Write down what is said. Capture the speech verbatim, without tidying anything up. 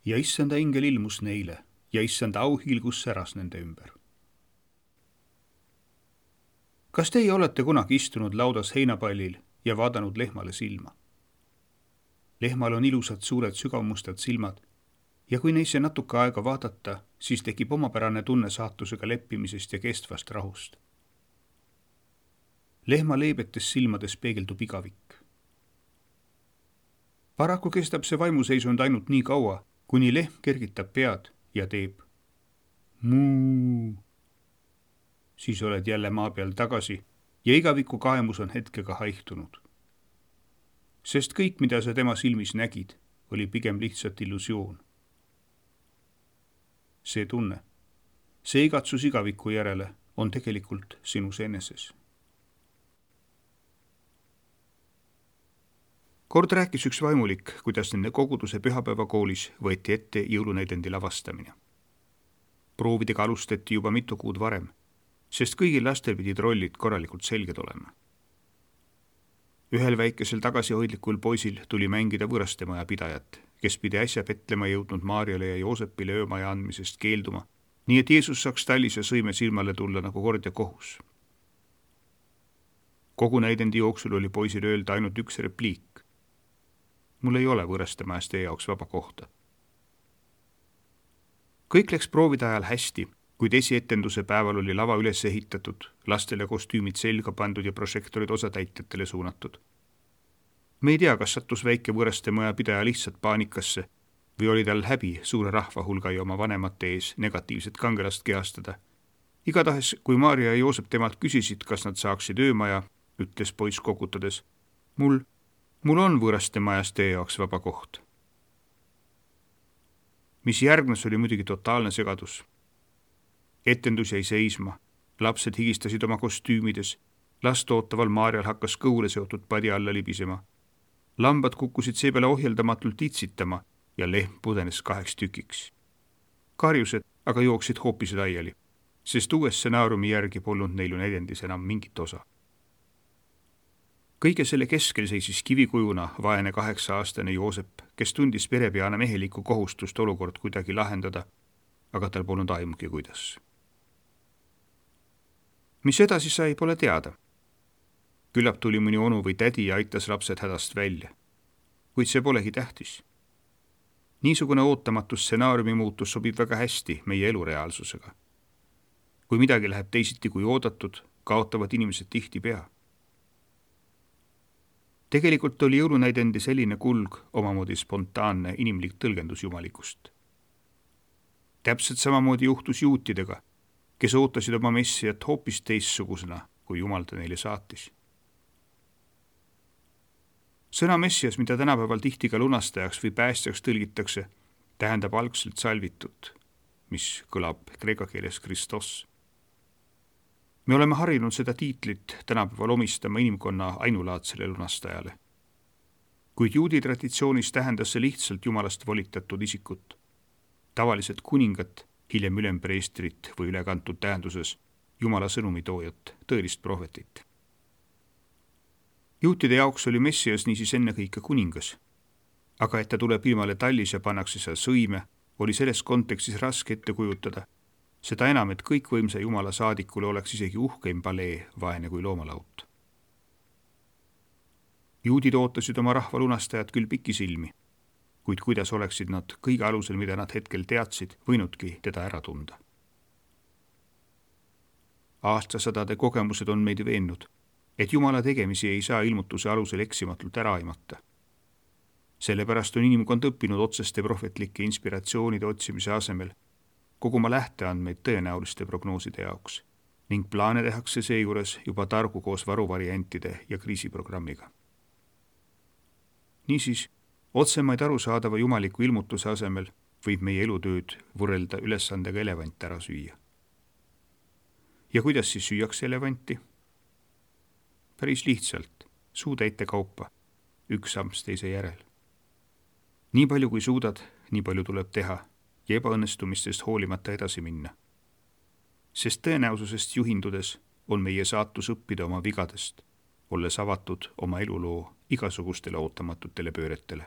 ja issanda ingel ilmus neile ja issanda auhiilgus säras nende ümber. Kas teie olete kunagi istunud laudas heinapallil ja vaadanud lehmale silma? Lehmal on ilusad suured sügavmustad silmad ja kui neisse natuke aega vaadata, siis tekib omapärane tunne saatusega leppimisest ja kestvast rahust. Lehma leebetes silmades peegeldub igavik. Paraku kestab see vaimuseisund ainult nii kaua, kuni lehm kergitab pead ja teeb muu. Siis oled jälle maa peal tagasi ja igaviku kaemus on hetkega haihtunud. Sest kõik, mida sa tema silmis nägid, oli pigem lihtsalt illusioon. See tunne, see igatsus igaviku järele on tegelikult sinus eneses. Kord rääkis üks vaimulik, kuidas nende koguduse pühapäevakoolis võeti ette jõulunäidendi lavastamine. Proovidega alustati juba mitu kuud varem, sest kõigil lastel pidid rollid korralikult selged olema. Ühel väikesel tagasihoidlikul poisil tuli mängida võõrastemaja pidajat, kes pidi äsja Betlema jõudnud Maarjale ja Joosepile öömaja andmisest keelduma, nii et Jeesus saaks tallis ja sõime silmale tulla nagu kord ja kohus. Kogu näidendi jooksul oli poisil öelda ainult üks repliik. Mul ei ole võõrastemajas teie jaoks vaba kohta. Kõik läks proovide ajal hästi, kuid esietenduse päeval oli lava üles ehitatud, lastele kostüümid selga pandud ja prožektorid osatäitjatele suunatud. Me ei tea, kas sattus väike võõrastemaja pidaja lihtsalt paanikasse või oli tal häbi suure rahvahulga ja oma vanemate ees negatiivset kangelast kehastada. Igatahes, kui Maarja ja Joosep temalt küsisid, kas nad saaksid öömaja, ütles poiss kokutades, mul, mul on võõrastemajas teie jaoks vaba koht. Mis järgnes oli muidugi totaalne segadus. Etendus jäi seisma, lapsed higistasid oma kostüümides, last ootaval Maarjal hakkas kõule seotud padi alla libisema. Lambad kukkusid seepeale ohjeldamatult itsitama ja lehm pudenes kaheks tükiks. Karjused aga jooksid hoopis laiali, sest uue stsenaariumi järgi polnud neil näidendis enam mingit osa. Kõige selle keskel seisis kivikujuna vaene kaheksa-aastane Joosep, kes tundis perepeana mehelikku kohustust olukord kuidagi lahendada, aga tal polnud aimugi kuidas. Mis edasi sai, pole teada. Küllap tuli mõni onu või tädi ja aitas lapsed hädast välja. Kuid see polegi tähtis. Niisugune ootamatu stsenaariumi muutus sobib väga hästi meie elureaalsusega. Kui midagi läheb teisiti kui oodatud, kaotavad inimesed tihti pea. Tegelikult oli jõulunäidendi selline kulg omamoodi spontaanne inimlik tõlgendus jumalikust. Täpselt samamoodi juhtus juutidega, kes ootasid oma messiat hoopis teistsugusena, kui Jumal ta neile saatis. Sõna messias, mida tänapäeval tihti ka lunastajaks või päästjaks tõlgitakse, tähendab algselt salvitut, mis kõlab kreeka keeles Kristos. Me oleme harjunud seda tiitlit tänapäeval omistama inimkonna ainulaadsele lunastajale. Kuid juudi traditsioonis tähendas see lihtsalt Jumalast volitatud isikut, tavaliselt kuningat, hiljem ülempreestrit või ülekantud tähenduses Jumala sõnumitoojat, tõelist prohvetit. Juutide jaoks oli messias niisiis ennekõike kuningas, aga et ta tuleb ilmale tallis ja pannakse seal sõime, oli selles kontekstis raske ette kujutada, seda enam, et kõikvõimsa Jumala saadikule oleks isegi uhkeim palee vaene kui loomalaut. Juudid ootasid oma rahva lunastajat küll pikisilmi, kuid kuidas oleksid nad kõige alusel, mida nad hetkel teadsid, võinudki teda ära tunda. Aastasadade kogemused on meid veennud, et Jumala tegemisi ei saa ilmutuse alusel eksimatult ära aimata. Sellepärast on inimkond õppinud otseste prohvetlike inspiratsioonide otsimise asemel koguma lähteandmeid tõenäoliste prognooside jaoks ning plaane tehakse seejuures juba targu koos varuvariantide ja kriisiprogrammiga. Niisiis, otsemaid arusaadava jumaliku ilmutuse asemel võib meie elutööd võrrelda ülesandega elevant ära süüa. Ja kuidas siis süüakse elevanti? Päris lihtsalt, suutäite kaupa, üks amps teise järel. Nii palju kui suudad, nii palju tuleb teha ja ebaõnnestumistest hoolimata edasi minna. Sest tõenäosusest juhindudes on meie saatus õppida oma vigadest, olles avatud oma eluloo igasugustele ootamatutele pööretele.